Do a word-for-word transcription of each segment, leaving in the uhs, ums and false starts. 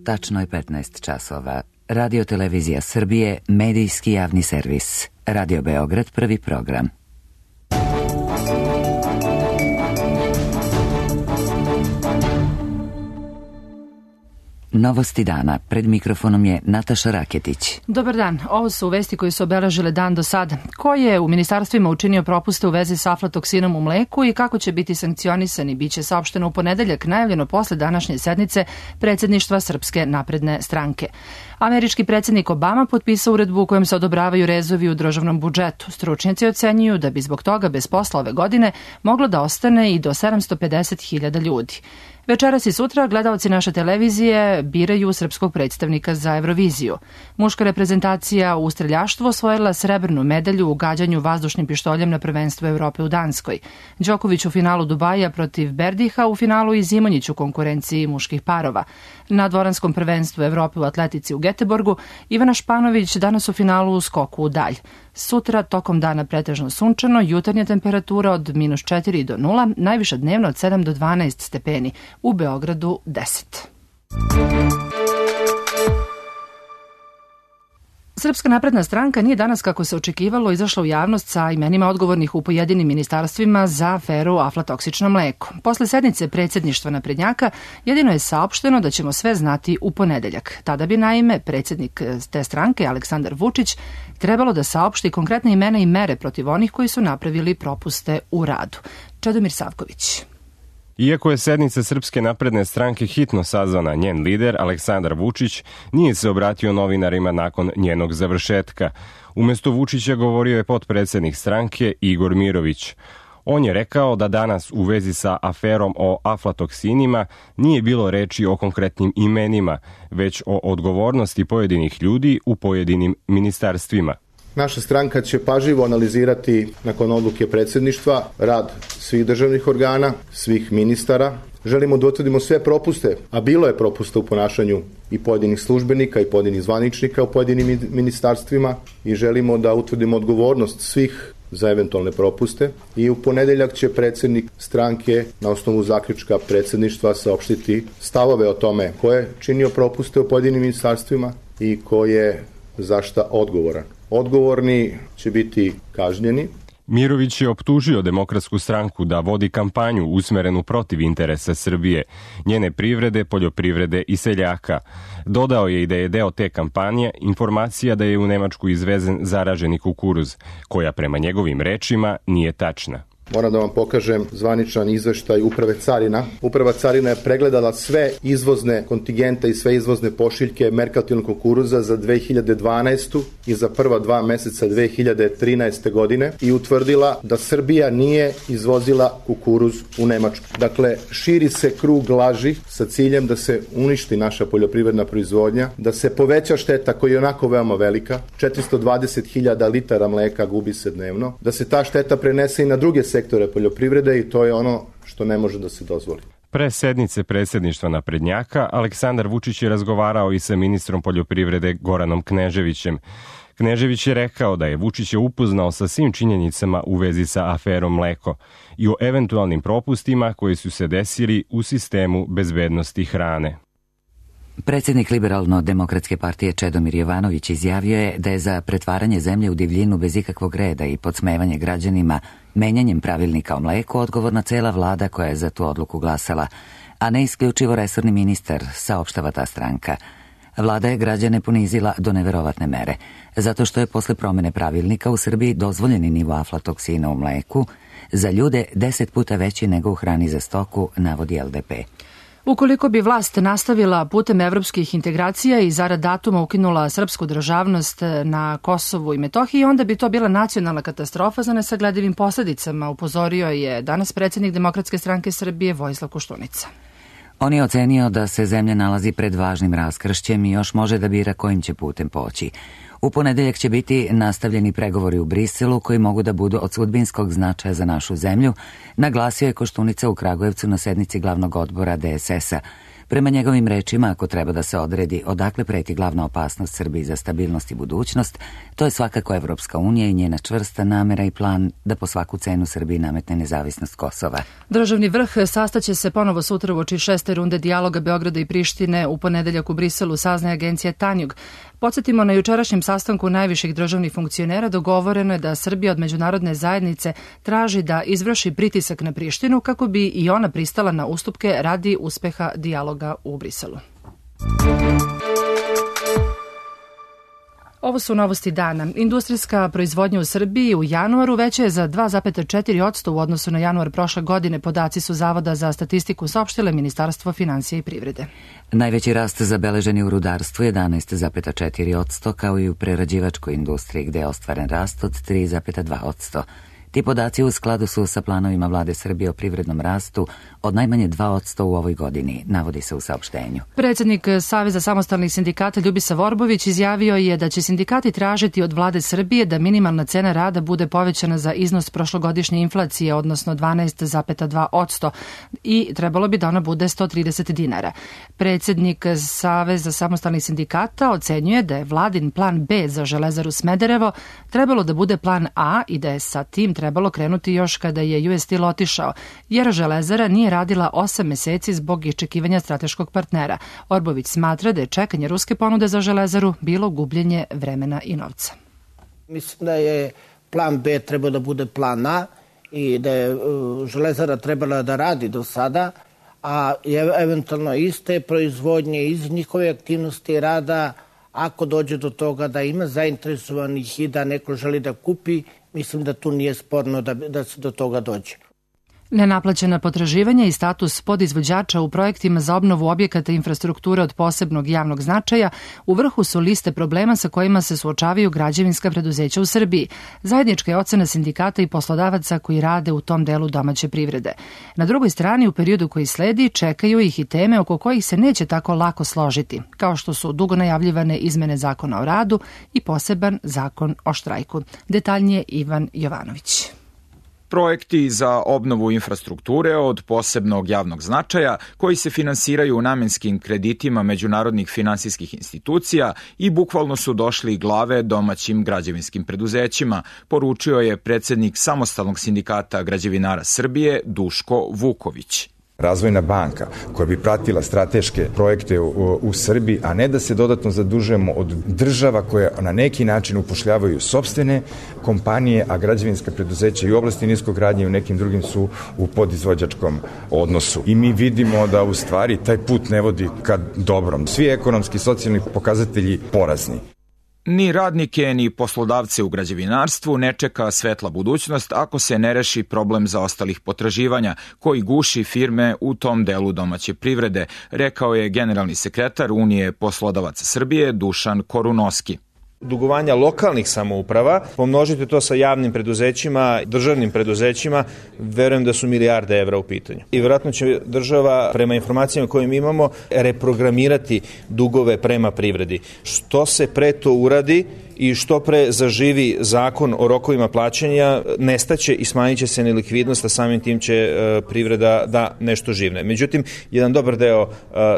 tačno je petnaest časova. Radio Televizija Srbije, medijski javni servis. Radio Beograd, prvi program. Novosti dana. Pred mikrofonom je Nataša Raketić. Dobar dan. Ovo su vesti koje su obeležile dan do sada. Ko je u ministarstvima učinio propuste u vezi sa aflatoksinom u mleku i kako će biti sankcionisani, biće saopšteno u ponedeljak, najavljeno posle današnje sednice predsjedništva Srpske napredne stranke. Američki predsjednik Obama potpisao uredbu u kojem se odobravaju rezovi u državnom budžetu. Stručnjaci ocenjuju da bi zbog toga bez posla ove godine moglo da ostane i do sedamsto pedeset hiljada ljudi. Večeras i sutra gledaoci naše televizije biraju srpskog predstavnika za Euroviziju. Muška reprezentacija u streljaštvu osvojila srebrnu medalju u gađanju vazdušnim pištoljem na prvenstvu Evrope u Danskoj. Đoković u finalu Dubaja protiv Berdiha, u finalu i Zimonjić u konkurenciji muških parova. Na dvoranskom prvenstvu Evrope u atletici u Geteborgu Ivana Španović danas u finalu u skoku u dalj. Sutra tokom dana pretežno sunčano, jutarnja temperatura od minus četiri do nula, najviša dnevno od sedam do dvanaest stepeni, u Beogradu deset. Srpska napredna stranka nije danas, kako se očekivalo, izašla u javnost sa imenima odgovornih u pojedinim ministarstvima za aferu aflatoksično mleko. Posle sednice predsjedništva naprednjaka jedino je saopšteno da ćemo sve znati u ponedeljak. Tada bi naime predsjednik te stranke, Aleksandar Vučić, trebalo da saopšti konkretne imena i mere protiv onih koji su napravili propuste u radu. Čedomir Savković. Iako je sednica Srpske napredne stranke hitno sazvana, njen lider, Aleksandar Vučić, nije se obratio novinarima nakon njenog završetka. Umjesto Vučića govorio je potpredsjednik stranke Igor Mirović. On je rekao da danas u vezi sa aferom o aflatoksinima nije bilo reči o konkretnim imenima, već o odgovornosti pojedinih ljudi u pojedinim ministarstvima. Naša stranka će pažljivo analizirati nakon odluke predsjedništva rad svih državnih organa, svih ministara. Želimo da utvrdimo sve propuste, a bilo je propusta u ponašanju i pojedinih službenika i pojedinih zvaničnika u pojedinim ministarstvima i želimo da utvrdimo odgovornost svih za eventualne propuste i u ponedeljak će predsjednik stranke na osnovu zaključka predsjedništva saopštiti stavove o tome ko je činio propuste u pojedinim ministarstvima i ko je za šta odgovoran. Odgovorni će biti kažnjeni. Mirović je optužio Demokratsku stranku da vodi kampanju usmerenu protiv interesa Srbije, njene privrede, poljoprivrede i seljaka. Dodao je i da je deo te kampanje informacija da je u Nemačku izvezen zaraženi kukuruz, koja prema njegovim rečima nije tačna. Moram da vam pokažem zvaničan izveštaj Uprave carina. Uprava carina je pregledala sve izvozne kontingente i sve izvozne pošiljke merkantilnog kukuruza za dve hiljade dvanaestu i za prva dva meseca dve hiljade trinaeste. godine i utvrdila da Srbija nije izvozila kukuruz u Nemačku. Dakle, širi se krug laži sa ciljem da se uništi naša poljoprivredna proizvodnja, da se poveća šteta koja je onako veoma velika, četiristo dvadeset hiljada litara mleka gubi se dnevno, da se ta šteta prenese i na druge sektore poljoprivrede i to je ono što ne može da se dozvoli. Pre sednice predsjedništva naprednjaka, Aleksandar Vučić je razgovarao i sa ministrom poljoprivrede Goranom Kneževićem. Knežević je rekao da je Vučić upoznao sa svim činjenicama u vezi sa aferom mleko i o eventualnim propustima koji su se desili u sistemu bezbednosti hrane. Predsjednik Liberalno-demokratske partije Čedomir Jovanović izjavio je da je za pretvaranje zemlje u divljinu bez ikakvog reda i podsmevanje građanima menjanjem pravilnika o mleku odgovorna cela vlada koja je za tu odluku glasala, a ne isključivo resorni ministar, saopštava ta stranka. Vlada je građane ponizila do neverovatne mere, zato što je posle promene pravilnika u Srbiji dozvoljeni nivo aflatoksina u mleku za ljude deset puta veći nego u hrani za stoku, navodi L D P. Ukoliko bi vlast nastavila putem evropskih integracija i zarad datuma ukinula srpsku državnost na Kosovu i Metohiji, onda bi to bila nacionalna katastrofa za nesagledivim posledicama, upozorio je danas predsjednik Demokratske stranke Srbije Vojislav Koštunica. On je ocenio da se zemlja nalazi pred važnim raskršćem i još može da bira kojim će putem poći. U ponedeljak će biti nastavljeni pregovori u Briselu koji mogu da budu od sudbinskog značaja za našu zemlju, naglasio je Koštunica u Kragujevcu na sednici glavnog odbora D S S-a. Prema njegovim rečima, ako treba da se odredi odakle preti glavna opasnost Srbiji za stabilnost i budućnost, to je svakako Evropska unija i njena čvrsta namera i plan da po svaku cenu Srbiji nametne nezavisnost Kosova. Državni vrh sastaće se ponovo sutra uoči šeste runde dijaloga Beograda i Prištine u ponedeljak u Briselu, saznaje agencija Tanjug. Podsjetimo, na jučerašnjem sastanku najviših državnih funkcionera dogovoreno je da Srbija od međunarodne zajednice traži da izvrši pritisak na Prištinu kako bi i ona pristala na ustupke radi uspeha dijaloga u Briselu. Ovo su novosti dana. Industrijska proizvodnja u Srbiji u januaru veća je za dva zarez četiri posto u odnosu na januar prošle godine. Podaci su Zavoda za statistiku saopštile Ministarstvo finansija i privrede. Najveći rast zabeležen je u rudarstvu jedanaest zarez četiri posto, kao i u prerađivačkoj industriji gde je ostvaren rast od tri zarez dva posto. Ti podaci u skladu su sa planovima vlade Srbije o privrednom rastu od najmanje dva posto u ovoj godini, navodi se u saopštenju. Predsjednik Saveza samostalnih sindikata Ljubisa Vorbović izjavio je da će sindikati tražiti od vlade Srbije da minimalna cena rada bude povećana za iznos prošlogodišnje inflacije, odnosno dvanaest zarez dva posto, i trebalo bi da ona bude sto trideset dinara. Predsjednik Saveza samostalnih sindikata ocenjuje da je vladin plan B za Železaru Smederevo trebalo da bude plan A i da je sa tim trebalo krenuti još kada je U S Steel otišao, jer Železara nije radila osam meseci zbog iščekivanja strateškog partnera. Orbović smatra da je čekanje ruske ponude za Železaru bilo gubljenje vremena i novca. Mislim da je plan B trebao da bude plan A i da je Železara trebala da radi do sada, a eventualno iz te proizvodnje, iz njihove aktivnosti rada, ako dođe do toga da ima zainteresovanih i da neko želi da kupi, mislim da tu nije sporno da, da se do toga dođe. Nenaplaćena potraživanja i status podizvođača u projektima za obnovu objekata infrastrukture od posebnog javnog značaja u vrhu su liste problema sa kojima se suočavaju građevinska preduzeća u Srbiji. Zajednička je ocena sindikata i poslodavaca koji rade u tom delu domaće privrede. Na drugoj strani, u periodu koji sledi, čekaju ih i teme oko kojih se neće tako lako složiti, kao što su dugo najavljivane izmene zakona o radu i poseban zakon o štrajku. Detaljnije Ivan Jovanović. Projekti za obnovu infrastrukture od posebnog javnog značaja koji se finansiraju namenskim kreditima međunarodnih finansijskih institucija i bukvalno su došli glave domaćim građevinskim preduzećima, poručio je predsjednik Samostalnog sindikata građevinara Srbije Duško Vuković. Razvojna banka koja bi pratila strateške projekte u, u Srbiji, a ne da se dodatno zadužujemo od država koje na neki način upošljavaju sopstvene kompanije, a građevinska preduzeća i u oblasti niskogradnje i u nekim drugim su u podizvođačkom odnosu. I mi vidimo da u stvari taj put ne vodi ka dobrom. Svi ekonomski i socijalni pokazatelji porazni. Ni radnike, ni poslodavce u građevinarstvu ne čeka svetla budućnost ako se ne reši problem zaostalih potraživanja koji guši firme u tom delu domaće privrede, rekao je generalni sekretar Unije poslodavaca Srbije Dušan Korunoski. Dugovanja lokalnih samouprava, pomnožite to sa javnim preduzećima, državnim preduzećima, verujem da su milijarde evra u pitanju. I vjerojatno će država, prema informacijama koje mi imamo, reprogramirati dugove prema privredi. Što se pre to uradi i što pre zaživi zakon o rokovima plaćanja, nestaće i smanjit će se nelikvidnost, a samim tim će e, privreda da nešto živne. Međutim, jedan dobar deo e,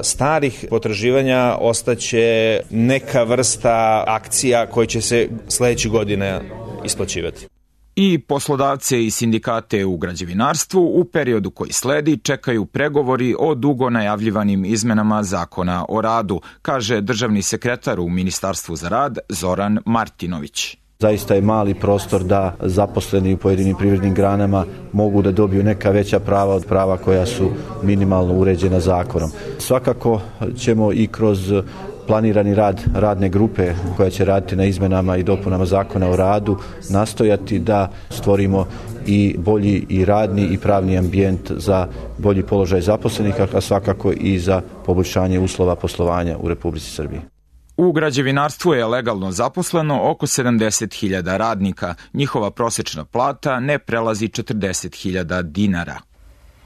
starih potraživanja ostaće neka vrsta akcija koje će se sledeće godine isplaćivati. I poslodavce i sindikate u građevinarstvu u periodu koji sledi čekaju pregovori o dugo najavljivanim izmenama zakona o radu, kaže državni sekretar u Ministarstvu za rad Zoran Martinović. Zaista je mali prostor da zaposleni u pojedinim privrednim granama mogu da dobiju neka veća prava od prava koja su minimalno uređena zakonom. Svakako ćemo i kroz planirani rad radne grupe koja će raditi na izmenama i dopunama zakona o radu nastojati da stvorimo i bolji i radni i pravni ambijent za bolji položaj zaposlenih, a svakako i za poboljšanje uslova poslovanja u Republici Srbiji. U građevinarstvu je legalno zaposleno oko sedamdeset hiljada radnika. Njihova prosečna plata ne prelazi četrdeset hiljada dinara.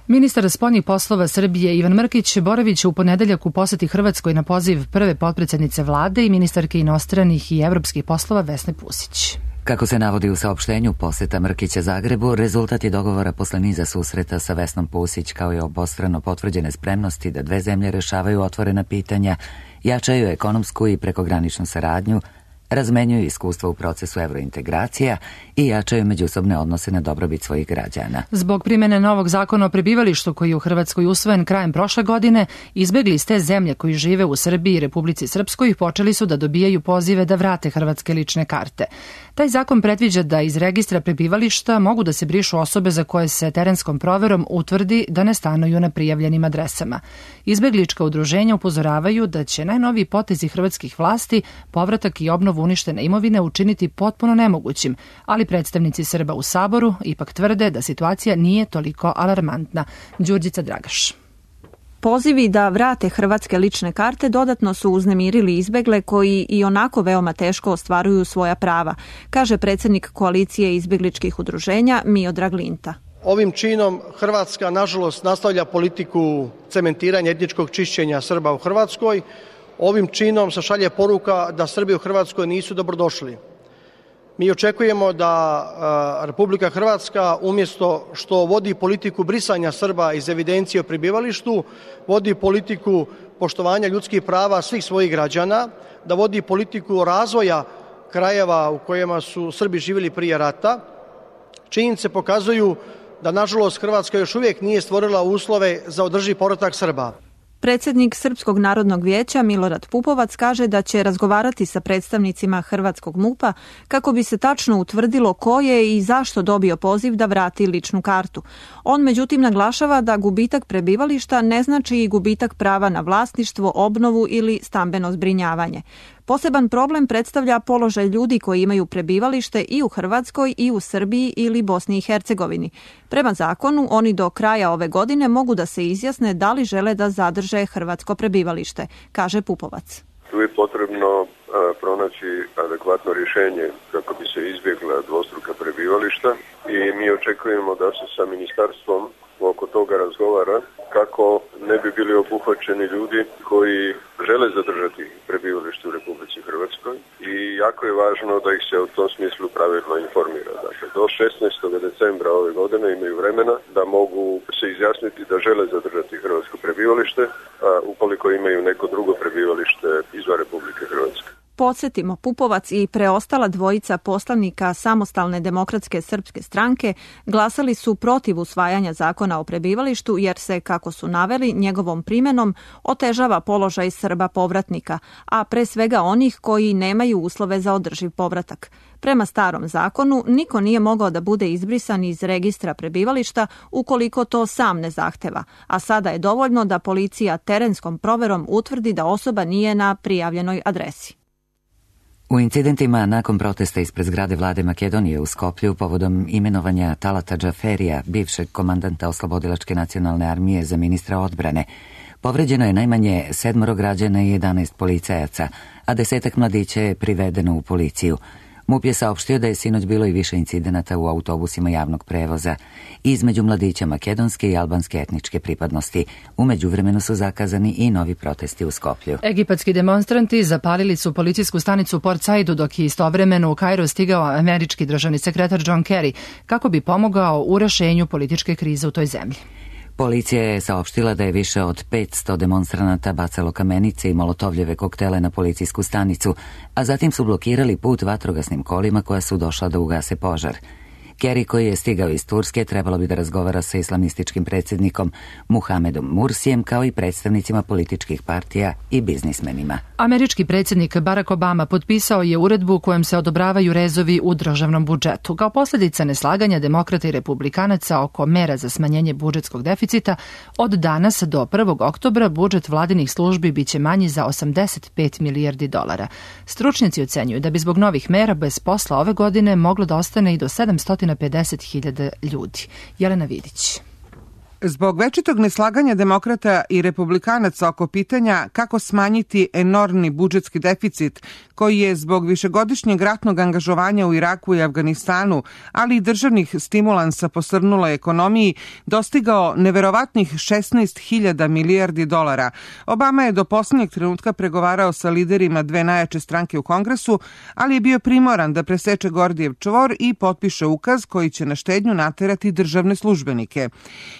Ministar spoljnih poslova Srbije Ivan Mrkić boraviće u ponedeljak u poseti Hrvatskoj na poziv prve potpredsednice vlade i ministarke inostranih i evropskih poslova Vesne Pusić. Kako se navodi u saopštenju, poseta Mrkića Zagrebu rezultat je dogovora posle niza susreta sa Vesnom Pusić, kao i obostrano potvrđene spremnosti da dve zemlje rešavaju otvorena pitanja, jačaju ekonomsku i prekograničnu saradnju, razmenjuju iskustva u procesu evrointegracija i jačaju međusobne odnose na dobrobit svojih građana. Zbog primene novog zakona o prebivalištu koji je u Hrvatskoj usvojen krajem prošle godine, izbegli iz te zemlje koji žive u Srbiji i Republici Srpskoj počeli su da dobijaju pozive da vrate hrvatske lične karte. Taj zakon predviđa da iz registra prebivališta mogu da se brišu osobe za koje se terenskom proverom utvrdi da ne stanuju na prijavljenim adresama. Izbeglička udruženja upozoravaju da će najnoviji potezi hrvatskih vlasti povratak i obnovu uništene imovine učiniti potpuno nemogućim, ali predstavnici Srba u Saboru ipak tvrde da situacija nije toliko alarmantna. Đurđica Dragaš. Pozivi da vrate hrvatske lične karte dodatno su uznemirili izbegle koji i onako veoma teško ostvaruju svoja prava, kaže predsjednik koalicije izbegličkih udruženja Miodrag Linta. Ovim činom Hrvatska, nažalost, nastavlja politiku cementiranja etničkog čišćenja Srba u Hrvatskoj. Ovim činom se šalje poruka da Srbi u Hrvatskoj nisu dobrodošli. Mi očekujemo da Republika Hrvatska, umjesto što vodi politiku brisanja Srba iz evidencije o prebivalištu, vodi politiku poštovanja ljudskih prava svih svojih građana, da vodi politiku razvoja krajeva u kojima su Srbi živjeli prije rata. Činjenice pokazuju da, nažalost, Hrvatska još uvijek nije stvorila uslove za održiv povratak Srba. Predsjednik Srpskog narodnog vijeća Milorad Pupovac kaže da će razgovarati sa predstavnicima hrvatskog MUP-a kako bi se tačno utvrdilo ko je i zašto dobio poziv da vrati ličnu kartu. On međutim naglašava da gubitak prebivališta ne znači i gubitak prava na vlasništvo, obnovu ili stambeno zbrinjavanje. Poseban problem predstavlja položaj ljudi koji imaju prebivalište i u Hrvatskoj i u Srbiji ili Bosni i Hercegovini. Prema zakonu, oni do kraja ove godine mogu da se izjasne da li žele da zadrže hrvatsko prebivalište, kaže Pupovac. Tu je potrebno a, pronaći adekvatno rješenje kako bi se izbjegla dvostruka prebivališta i mi očekujemo da se sa ministarstvom oko toga razgovara kako ne bi bili obuhvaćeni ljudi koji žele zadržati prebivalište u Republici Hrvatskoj i jako je važno da ih se u tom smislu pravilno informira. Dakle, do šesnaestog decembra ove godine imaju vremena da mogu se izjasniti da žele zadržati hrvatsko prebivalište, a ukoliko imaju neko drugo prebivalište izvan Republike Hrvatske. Podsjetimo, Pupovac i preostala dvojica poslanika Samostalne demokratske srpske stranke glasali su protiv usvajanja zakona o prebivalištu jer se, kako su naveli, njegovom primenom otežava položaj Srba povratnika, a pre svega onih koji nemaju uslove za održiv povratak. Prema starom zakonu, niko nije mogao da bude izbrisan iz registra prebivališta ukoliko to sam ne zahteva, a sada je dovoljno da policija terenskom proverom utvrdi da osoba nije na prijavljenoj adresi. U incidentima nakon protesta ispred zgrade vlade Makedonije u Skoplju povodom imenovanja Talata Džaferija, bivšeg komandanta Oslobodilačke nacionalne armije, za ministra odbrane, povređeno je najmanje sedmoro građana i jedanaest policajaca, a desetak mladića je privedeno u policiju. MUP je saopštio da je sinoć bilo i više incidenata u autobusima javnog prevoza između mladića makedonske i albanske etničke pripadnosti. U međuvremenu su zakazani i novi protesti u Skoplju. Egipatski demonstranti zapalili su policijsku stanicu u Port Saidu dok je istovremeno u Kairu stigao američki državni sekretar John Kerry kako bi pomogao u rešenju političke krize u toj zemlji. Policija je saopštila da je više od petsto demonstranata bacalo kamenice i molotovljeve koktele na policijsku stanicu, a zatim su blokirali put vatrogasnim kolima koja su došla da ugase požar. Kerry, koji je stigao iz Turske, trebalo bi da razgovara sa islamističkim predsjednikom Muhamedom Mursijem, kao i predstavnicima političkih partija i biznismenima. Američki predsjednik Barack Obama potpisao je uredbu kojom se odobravaju rezovi u državnom budžetu. Kao posljedica neslaganja demokrata i republikanaca oko mera za smanjenje budžetskog deficita, od danas do prvog oktobra budžet vladinih službi biće manji za osamdeset pet milijardi dolara. Stručnjaci ocenjuju da bi zbog novih mera bez posla ove godine moglo da ostane i do sedamsto pedeset hiljada ljudi. Jelena Vidić. Zbog večitog neslaganja demokrata i republikanaca oko pitanja kako smanjiti enormni budžetski deficit koji je zbog višegodišnjeg ratnog angažovanja u Iraku i Afganistanu, ali i državnih stimulansa posrnuloj ekonomiji, dostigao neverovatnih šesnaest hiljada milijardi dolara, Obama je do poslednjeg trenutka pregovarao sa liderima dve najjače stranke u Kongresu, ali je bio primoran da preseče Gordijev čvor i potpiše ukaz koji će na štednju naterati državne službenike.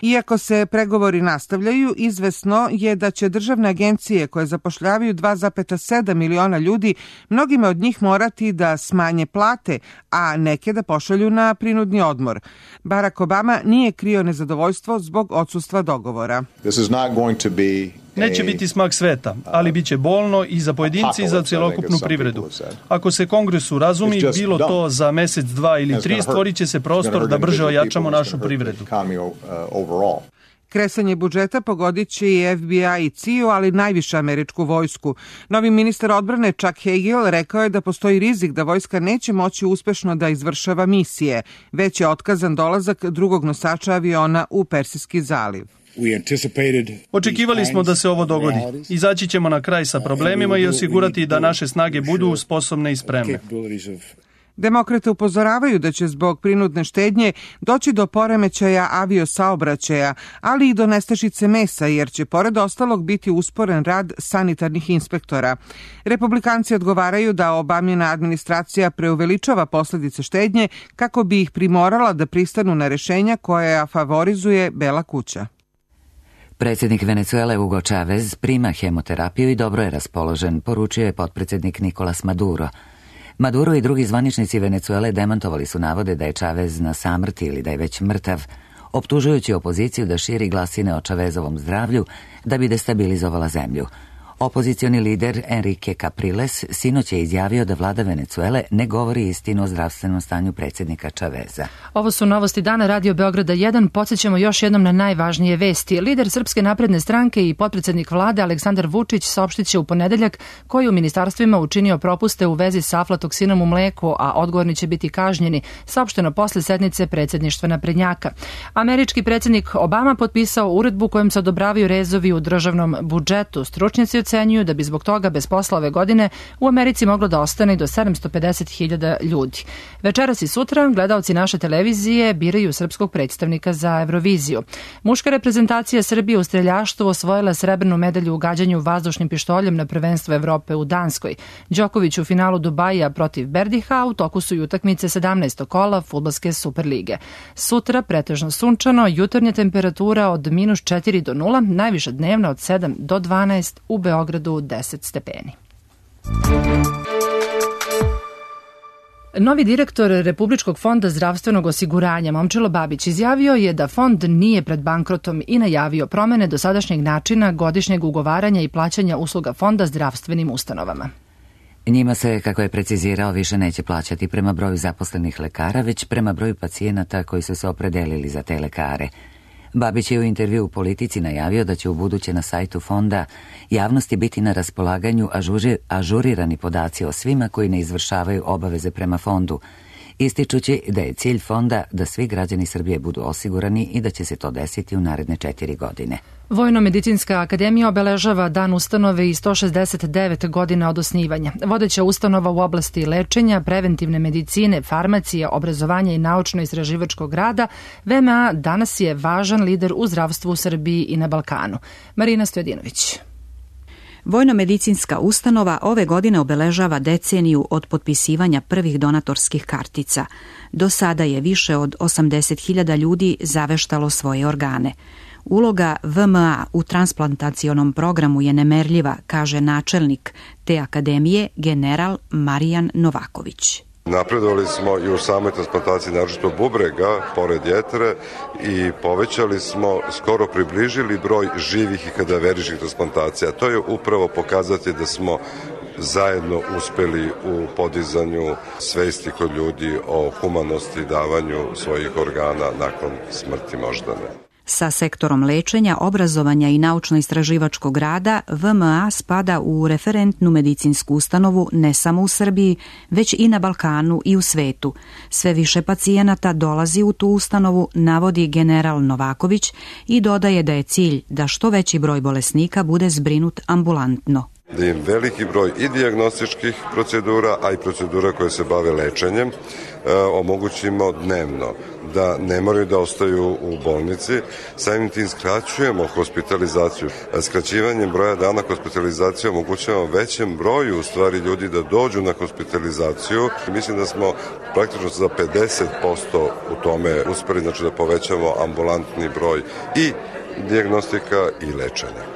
Iako se pregovori nastavljaju, izvesno je da će državne agencije koje zapošljavaju dva zarez sedam miliona ljudi, mnogima od njih morati da smanje plate, a neke da pošalju na prinudni odmor. Barack Obama nije krio nezadovoljstvo zbog odsustva dogovora. Neće biti smak sveta, ali bit će bolno i za pojedinci i za celokupnu privredu. Ako se Kongresu razumi, bilo to za mesec, dva ili tri, stvorit će se prostor da brže ojačamo našu privredu. Kresanje budžeta pogodit će i F B I i C I A, ali najviše američku vojsku. Novi ministar odbrane Chuck Hagel rekao je da postoji rizik da vojska neće moći uspešno da izvršava misije, već je otkazan dolazak drugog nosača aviona u Persijski zaliv. Očekivali smo da se ovo dogodi. Izaći ćemo na kraj sa problemima i osigurati da naše snage budu sposobne i spremne. Demokrate upozoravaju da će zbog prinudne štednje doći do poremećaja aviosaobraćaja, ali i do nestašice mesa, jer će pored ostalog biti usporen rad sanitarnih inspektora. Republikanci odgovaraju da Obamina administracija preuveličava posledice štednje kako bi ih primorala da pristanu na rešenja koja favorizuje Bela kuća. Predsjednik Venecuele Hugo Chavez prima hemoterapiju i dobro je raspoložen, poručio je potpredsjednik Nicolas Maduro. Maduro i drugi zvaničnici Venecuele demantovali su navode da je Chavez na samrti ili da je već mrtav, optužujući opoziciju da širi glasine o Chavezovom zdravlju da bi destabilizovala zemlju. Opozicioni lider Enrique Capriles sinoć je izjavio da vlada Venecuele ne govori istinu o zdravstvenom stanju predsjednika Chaveza. Ovo su novosti dana Radio Beograda jedan. Podsjećamo još jednom na najvažnije vesti. Lider Srpske napredne stranke i potpredsjednik vlade Aleksandar Vučić saopštit će u ponedeljak koji u ministarstvima učinio propuste u vezi sa aflatoksinom u mleku, a odgovorni će biti kažnjeni, saopšteno posle sednice predsjedništva naprednjaka. Američki predsjednik Obama potpisao uredbu kojom se odobravaju rezovi u državnom budžetu. Stručnjaci ocenjuju da bi zbog toga bez posla ove godine u Americi moglo da ostane do sedamsto pedeset hiljada ljudi. Večeras i sutra gledaoci naše televizije biraju srpskog predstavnika za Euroviziju. Muška reprezentacija Srbije u streljaštvu osvojila srebrnu medalju u gađanju vazdušnim pištoljem na prvenstvu Evrope u Danskoj. Đoković u finalu Dubaija protiv Berdiha, u toku su i utakmice sedamnaestog kola fudbalske Superlige. Sutra pretežno sunčano, jutarnja temperatura od minus četiri do nula, najviša dnevna od sedam do dvanaest, u Beogradu deset stepeni. Novi direktor Republičkog fonda zdravstvenog osiguranja Momčilo Babić izjavio je da fond nije pred bankrotom i najavio promene dosadašnjeg načina godišnjeg ugovaranja i plaćanja usluga fonda zdravstvenim ustanovama. Njima se, kako je precizirao, više neće plaćati prema broju zaposlenih lekara, već prema broju pacijenata koji su se opredelili za te lekare. Babić je u intervju u Politici najavio da će u buduće na sajtu fonda javnosti biti na raspolaganju ažuri, ažurirani podaci o svima koji ne izvršavaju obaveze prema fondu, ističući da je cilj fonda da svi građani Srbije budu osigurani i da će se to desiti u naredne četiri godine. Vojno-medicinska akademija obeležava dan ustanove i sto šezdeset devet godina od osnivanja. Vodeća ustanova u oblasti lečenja, preventivne medicine, farmacije, obrazovanja i naučno-istraživačkog rada, V M A danas je važan lider u zdravstvu u Srbiji i na Balkanu. Marina Stojadinović. Vojno-medicinska ustanova ove godine obeležava deceniju od potpisivanja prvih donatorskih kartica. Do sada je više od osamdeset hiljada ljudi zaveštalo svoje organe. Uloga V M A u transplantacionom programu je nemerljiva, kaže načelnik te akademije general Marijan Novaković. Napredovali smo i u samoj transplantaciji naročito bubrega, pored jetre, i povećali smo, skoro približili broj živih i kadaveričnih transplantacija. To je upravo pokazati da smo zajedno uspeli u podizanju svesti kod ljudi o humanosti i davanju svojih organa nakon smrti moždane. Sa sektorom lečenja, obrazovanja i naučno-istraživačkog rada, V M A spada u referentnu medicinsku ustanovu ne samo u Srbiji, već i na Balkanu i u svetu. Sve više pacijenata dolazi u tu ustanovu, navodi general Novaković i dodaje da je cilj da što veći broj bolesnika bude zbrinut ambulantno. Da im veliki broj i dijagnostičkih procedura, a i procedura koje se bave lečenjem, e, omogućimo dnevno, da ne moraju da ostaju u bolnici. Samim tim skraćujemo hospitalizaciju. Skraćivanjem broja dana hospitalizacije omogućavamo većem broju u stvari ljudi da dođu na hospitalizaciju. Mislim da smo praktično za pedeset posto u tome uspeli, znači da povećamo ambulantni broj i dijagnostika i lečenja.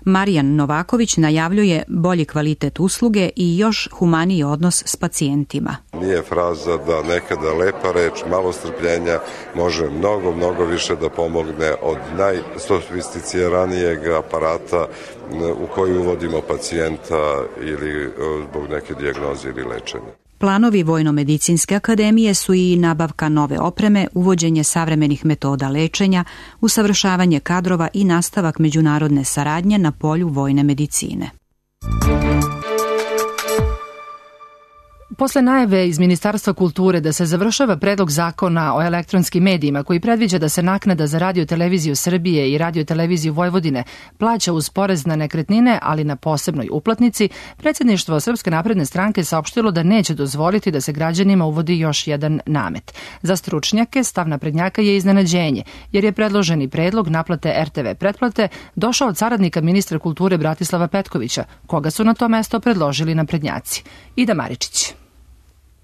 Marijan Novaković najavljuje bolji kvalitet usluge i još humaniji odnos s pacijentima. Nije fraza da nekada lepa reč, malo strpljenja može mnogo, mnogo više da pomogne od najsofisticiranijeg aparata u koji uvodimo pacijenta ili zbog neke dijagnoze ili lečenja. Planovi Vojno-medicinske akademije su i nabavka nove opreme, uvođenje savremenih metoda lečenja, usavršavanje kadrova i nastavak međunarodne saradnje na polju vojne medicine. Posle najave iz Ministarstva kulture da se završava predlog zakona o elektronskim medijima koji predviđa da se naknada za Radio-televiziju Srbije i Radio-televiziju Vojvodine plaća uz porez na nekretnine, ali na posebnoj uplatnici, predsjedništvo Srpske napredne stranke saopštilo da neće dozvoliti da se građanima uvodi još jedan namet. Za stručnjake stav naprednjaka je iznenađenje, jer je predloženi predlog naplate R T V pretplate došao od saradnika ministra kulture Bratislava Petkovića, koga su na to mesto predložili naprednjaci. Ida Maričić.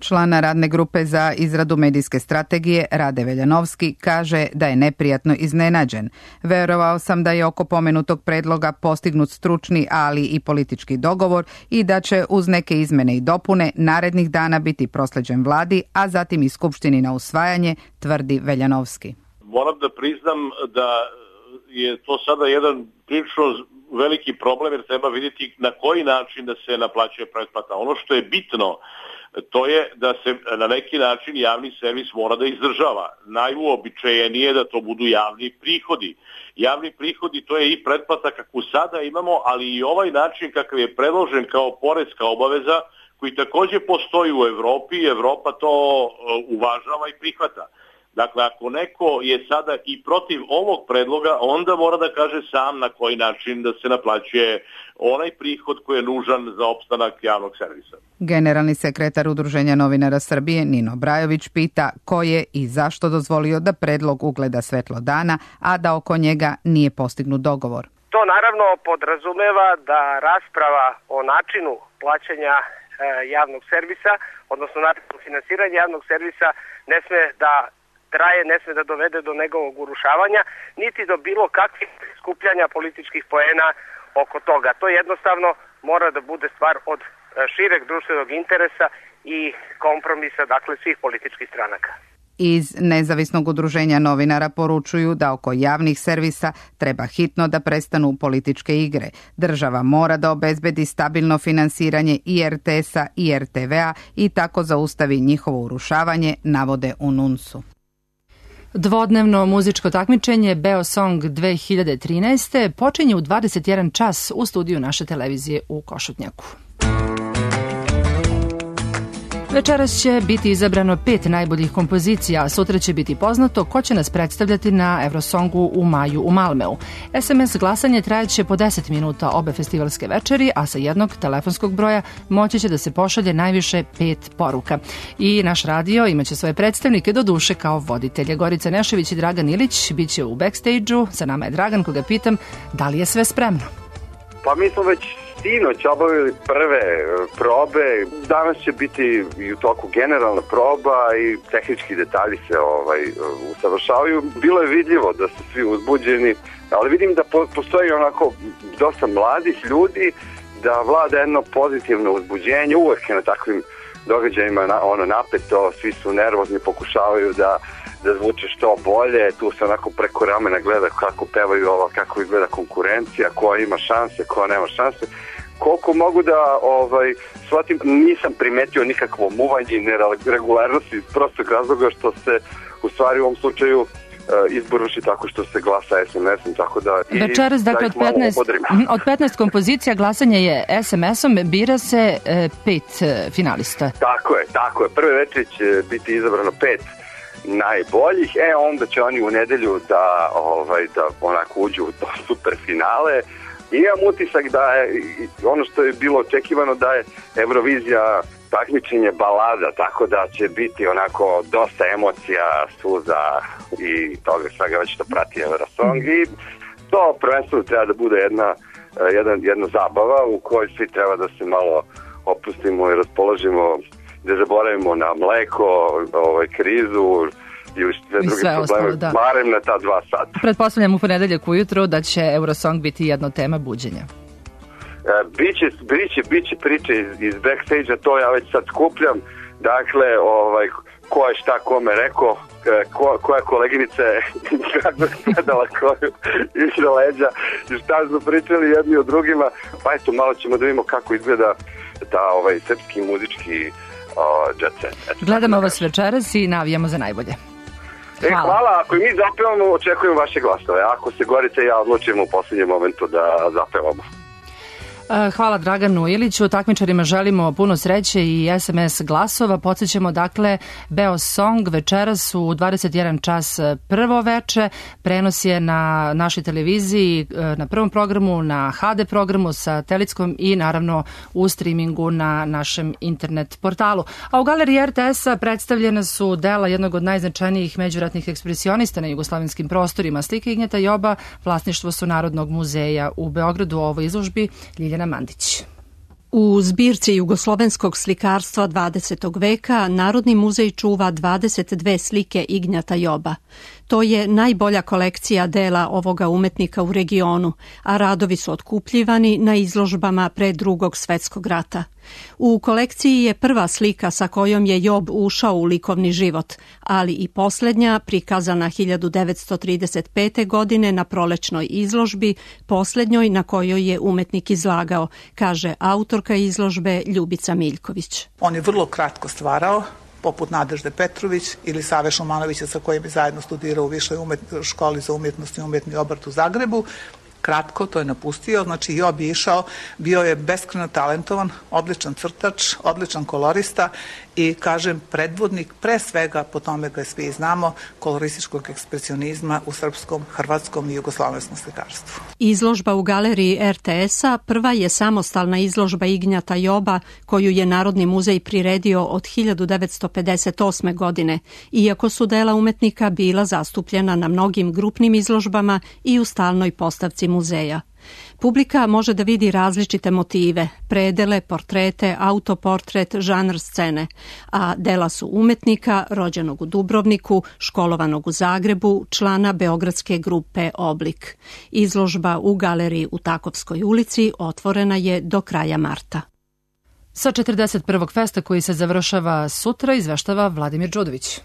Člana radne grupe za izradu medijske strategije Rade Veljanovski kaže da je neprijatno iznenađen. Verovao sam da je oko pomenutog predloga postignut stručni, ali i politički dogovor i da će uz neke izmene i dopune narednih dana biti prosleđen vladi, a zatim i skupštini na usvajanje, tvrdi Veljanovski. Moram da priznam da je to sada jedan prilično veliki problem, jer treba vidjeti na koji način da se naplaćuje pretplata. Ono što je bitno, to je da se na neki način javni servis mora da izdržava. Najuobičajenije da to budu javni prihodi. Javni prihodi, to je i pretplata kakvu sada imamo, ali i ovaj način kakav je predložen kao poreska obaveza, koji također postoji u Evropi, Evropa to uvažava i prihvata. Dakle, ako neko je sada i protiv ovog predloga, onda mora da kaže sam na koji način da se naplaćuje onaj prihod koji je nužan za opstanak javnog servisa. Generalni sekretar Udruženja novinara Srbije Nino Brajović pita ko je i zašto dozvolio da predlog ugleda svetlo dana, a da oko njega nije postignut dogovor. To naravno podrazumeva da rasprava o načinu plaćanja e, javnog servisa, odnosno načinu finansiranja javnog servisa, ne sme da traje, ne sme da dovede do njegovog urušavanja, niti do bilo kakvih skupljanja političkih poena oko toga. To jednostavno mora da bude stvar od šireg društvenog interesa i kompromisa, dakle, svih političkih stranaka. Iz Nezavisnog udruženja novinara poručuju da oko javnih servisa treba hitno da prestanu političke igre. Država mora da obezbedi stabilno finansiranje i R T S-a i R T V-a i tako zaustavi njihovo urušavanje, navode u Nunsu. Dvodnevno muzičko takmičenje Beosong dve hiljade trinaeste počinje u dvadeset jedan čas u studiju naše televizije u Košutnjaku. Večeras će biti izabrano pet najboljih kompozicija, a sutra će biti poznato ko će nas predstavljati na Eurosongu u maju u Malmeu. S M S glasanje trajaće po deset minuta obe festivalske večeri, a sa jednog telefonskog broja moći će da se pošalje najviše pet poruka. I naš radio imaće svoje predstavnike, do duše kao voditelje. Gorica Nešević i Dragan Ilić bit će u backstage-u. Sa nama je Dragan, koga pitam da li je sve spremno. Pa mi smo već sinoć obavili prve probe, danas će biti i u toku generalna proba i tehnički detalji se ovaj, usavršavaju. Bilo je vidljivo da su svi uzbuđeni, ali vidim da po, postoji onako dosta mladih ljudi, da vlada jedno pozitivno uzbuđenje, uvek je na takvim događajima na, ono napeto, svi su nervozni, pokušavaju da da zvuče što bolje, tu se onako preko ramena gleda kako pevaju ovo, kako izgleda konkurencija, ko ima šanse, ko nema šanse. Koliko mogu da ovaj, shvatim, nisam primetio nikakvo muvanje i neregularnosti iz prostog razloga što se u stvari u ovom slučaju izbor vrši tako što se glasa es em esom, tako da i večeras, dakle, od petnaest, od petnaest kompozicija glasanje je es em esom, bira se e, pet e, finalista. Tako je, tako je. Prve večeri će biti izabrano pet najboljih, e onda će oni u nedelju da, ovaj, da onako uđu u to super finale. I imam utisak da je ono što je bilo očekivano da je Eurovizija takmičenje balada, tako da će biti onako dosta emocija, suza i toga svega već što prati Eurosong i to prvenstveno treba da bude jedna, jedna, jedna zabava u kojoj svi treba da se malo opustimo i raspoložimo, da zaboravimo na mleko, ovaj, krizu i sve druge sve probleme, ostalo, da. Barem na ta dva sata. Pretpostavljam u ponedeljak ujutro da će Eurosong biti jedna tema buđenja. E, biće, biće, biće priče iz, iz backstage-a, to ja već sad skupljam. Dakle, ovaj, ko je šta kome rekao, ko, koja koleginica je kako gledala koju iza leđa i šta smo pričali jedni o drugima. Pa eto, malo ćemo da vidimo kako izgleda ta ovaj, srpski muzički uh, jet set. Gledamo vas večeras i navijamo za najbolje. Hvala. E, hvala, ako i mi zapevamo, očekujemo vaše glasove. Ako se Gorica i ja odlučujemo u posljednjem momentu da zapevamo. Hvala Draganu Iliću, takmičarima želimo puno sreće i es em es glasova. Podsjećamo, dakle, Beosong večeras u dvadeset jedan čas prvo veče. Prenos je na našoj televiziji, na prvom programu, na ha de programu, satelitskom i naravno u streamingu na našem internet portalu. A u galeriji er te es-a predstavljena su dela jednog od najznačajnijih međuratnih ekspresionista na jugoslavenskim prostorima. Slike Ignjeta Joba, vlasništvo su Narodnog muzeja u Beogradu. U ovoj izložbi Ljiljana Mandić. U zbirci jugoslovenskog slikarstva dvadesetog veka Narodni muzej čuva dvadeset dve slike Ignjata Joba. To je najbolja kolekcija dela ovoga umetnika u regionu, a radovi su otkupljivani na izložbama pre Drugog svetskog rata. U kolekciji je prva slika sa kojom je Job ušao u likovni život, ali i posljednja, prikazana hiljadu devetsto trideset pete. godine na prolećnoj izložbi, posljednjoj na kojoj je umetnik izlagao, kaže autorka izložbe Ljubica Miljković. On je vrlo kratko stvarao, poput Nadežde Petrović ili Save Šumanovića sa kojim je zajedno studirao u Višoj umjet, školi za umjetnost i umjetni obrt u Zagrebu. Kratko, to je napustio, znači Job je išao, bio je beskrajno talentovan, odličan crtač, odličan kolorista i, kažem, predvodnik, pre svega, po tome ga svi znamo, kolorističkog ekspresionizma u srpskom, hrvatskom i jugoslovenskom slikarstvu. Izložba u galeriji er te es-a prva je samostalna izložba Ignjata Joba koju je Narodni muzej priredio od hiljadu devetsto pedeset osme. godine, iako su dela umetnika bila zastupljena na mnogim grupnim izložbama i u stalnoj postavci muzeja. Publika može da vidi različite motive, predele, portrete, autoportret, žanr scene, a dela su umetnika rođenog u Dubrovniku, školovanog u Zagrebu, člana beogradske grupe Oblik. Izložba u galeriji u Takovskoj ulici otvorena je do kraja marta. Sa četrdeset prvog festa koji se završava sutra izveštava Vladimir Đudović.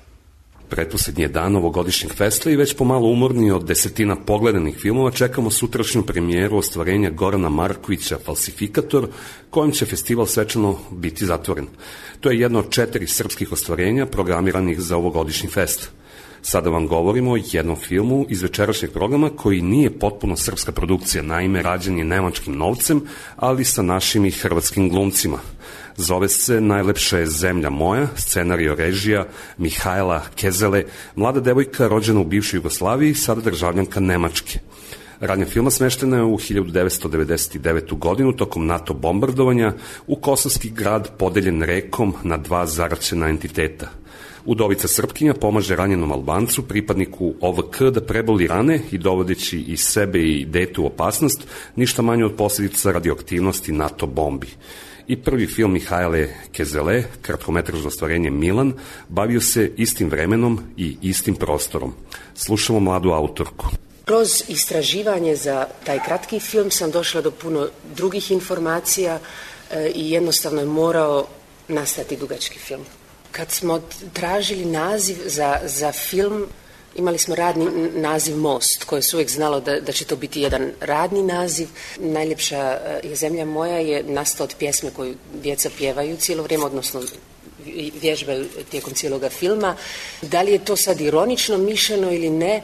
Pretposlednji je dan ovogodišnjeg festa i već pomalo umorni od desetina pogledanih filmova čekamo sutrašnju premijeru ostvarenja Gorana Markovića Falsifikator, kojim će festival svečano biti zatvoren. To je jedno od četiri srpskih ostvarenja programiranih za ovogodišnji fest. Sada vam govorimo o jednom filmu iz večerašnjeg programa koji nije potpuno srpska produkcija, naime rađen je nemačkim novcem, ali sa našim i hrvatskim glumcima. Zove se Najlepša je zemlja moja, scenario režija Mihajla Kezele, mlada devojka rođena u bivšoj Jugoslaviji, sada državljanka Nemačke. Radnja filma smeštena je u hiljadu devetsto devedeset devetu. godinu tokom NATO bombardovanja u kosovski grad podeljen rekom na dva zaraćena entiteta. Udovica Srpkinja pomaže ranjenom Albancu, pripadniku o ve ka, da preboli rane i dovodeći i sebe i dete u opasnost, ništa manje od posljedica radioaktivnosti NATO bombi. I prvi film Mihajle Kezele, kratkometražno ostvarenje Milan, bavio se istim vremenom i istim prostorom. Slušamo mladu autorku. Kroz istraživanje za taj kratki film sam došla do puno drugih informacija e, i jednostavno je morao nastati dugački film. Kad smo tražili naziv za, za film, imali smo radni naziv Most, koje se uvijek znalo da, da će to biti jedan radni naziv. Najljepša je zemlja moja je nastao od pjesme koju djeca pjevaju cijelo vrijeme, odnosno vježbaju tijekom cijeloga filma. Da li je to sad ironično mišljeno ili ne,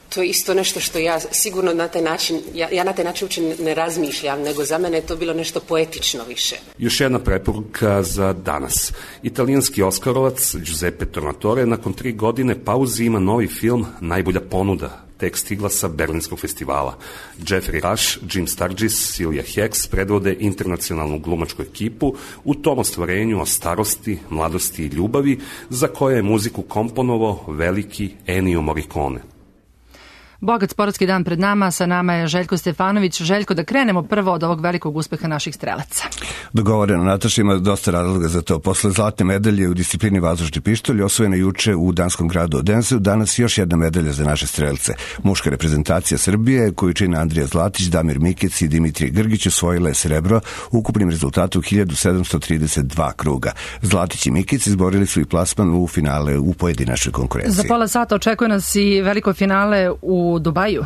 to je isto nešto što ja sigurno na taj način, ja, ja na taj način uopće ne razmišljam, nego za mene je to bilo nešto poetično više. Još jedna preporuka za danas. Italijanski oskarovac Giuseppe Tornatore nakon tri godine pauzi ima novi film Najbolja ponuda, tek stigla sa Berlinskog festivala. Jeffrey Rush, Jim Sturgis, Silvia Hicks predvode internacionalnu glumačku ekipu u tom ostvarenju o starosti, mladosti i ljubavi za koje je muziku komponovao veliki Ennio Morricone. Bogat sportski dan pred nama, sa nama je Željko Stefanović. Željko, da krenemo prvo od ovog velikog uspeha naših strelaca. Dogovoreno, Nataša, ima dosta razloga za to. Posle zlatne medalje u disciplini vazdušni pištolj, osvojene juče u danskom gradu Odense, danas još jedna medalja za naše strelce. Muška reprezentacija Srbije, koju čine Andrija Zlatić, Damir Mikec i Dimitrij Grgić, osvojila je srebro ukupnim rezultatom hiljadu sedamsto trideset dva kruga. Zlatić i Mikec izborili su i plasman u finale u pojedinačnoj konkurenciji. Za pola sata očekuje nas i veliko finale u U Dubaju.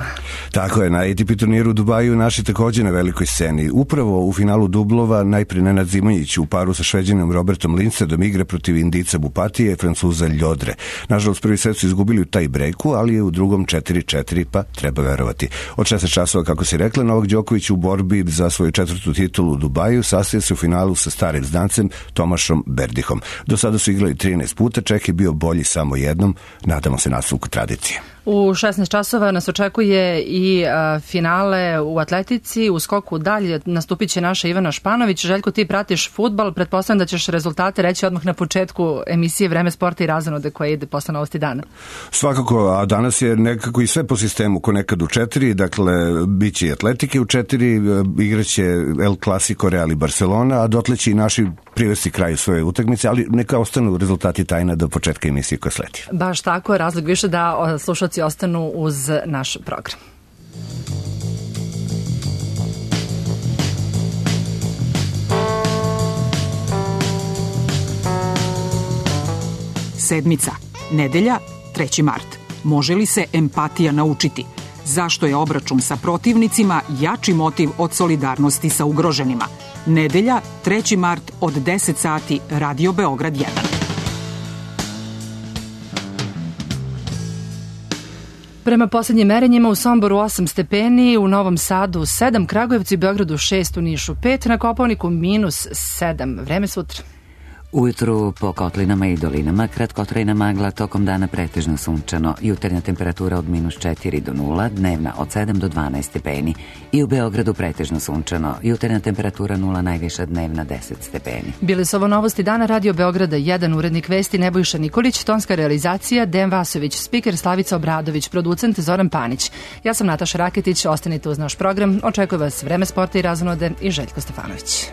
Tako je, na A T P turniru u Dubaju naši takođe na velikoj sceni. Upravo u finalu dublova najprije Nenad Zimonjić u paru sa Šveđanom Robertom Lindstedom igra protiv Indica Bupatije i Francuza Ljodre. Nažalost, prvi set su izgubili u taj breaku, ali je u drugom četiri četiri, pa treba verovati. Od šesnaest časova, kako si rekla, Novak Đoković u borbi za svoju četvrtu titulu u Dubaju sastaje se u finalu sa starim znancem Tomašom Berdihom. Do sada su igrali trinaest puta, Čeh je bio bolji samo jednom, nadamo se nastavku tradicije. U šesnaest časova nas očekuje i a, finale u atletici, u skoku dalje nastupit će naša Ivana Španović. Željko, ti pratiš fudbal, pretpostavljam da ćeš rezultate reći odmah na početku emisije Vreme sporta i razonode koja ide posle novosti dana. Svakako, a danas je nekako i sve po sistemu ko nekad u četiri, dakle bit će i atletike u četiri, igraće El Clasico Real i Barcelona, a dotle će i naši privesti kraju svoje utakmice, ali neka ostanu rezultati tajna do početka emisije koja sledi. Baš tako, razlog više da slušalci ostanu uz naš program. Sedmica. Nedelja, treći mart. Može li se empatija naučiti? Zašto je obračun sa protivnicima jači motiv od solidarnosti sa ugroženima? Nedelja, treći mart od deset sati, Radio Beograd jedan. Prema posljednjim merenjima u Somboru osam stepeni, u Novom Sadu sedam, Kragujevcu i Beogradu šest, u Nišu pet, na Kopaoniku minus sedam. Vreme sutra. Ujutru po kotlinama i dolinama kratkotrajna magla, tokom dana pretežno sunčano, jutarnja temperatura od minus četiri do nula, dnevna od sedam do dvanaest stepeni. I u Beogradu pretežno sunčano, jutarnja temperatura nula, najviša dnevna deset stepeni. Bili su ovo novosti dana Radio Beograda jedan, urednik vesti Nebojša Nikolić, tonska realizacija Dejan Vasović, spiker Slavica Obradović, producent Zoran Panić. Ja sam Nataša Raketić, ostanite uz naš program, očekuje vas Vreme sporta i razonode i Željko Stefanović.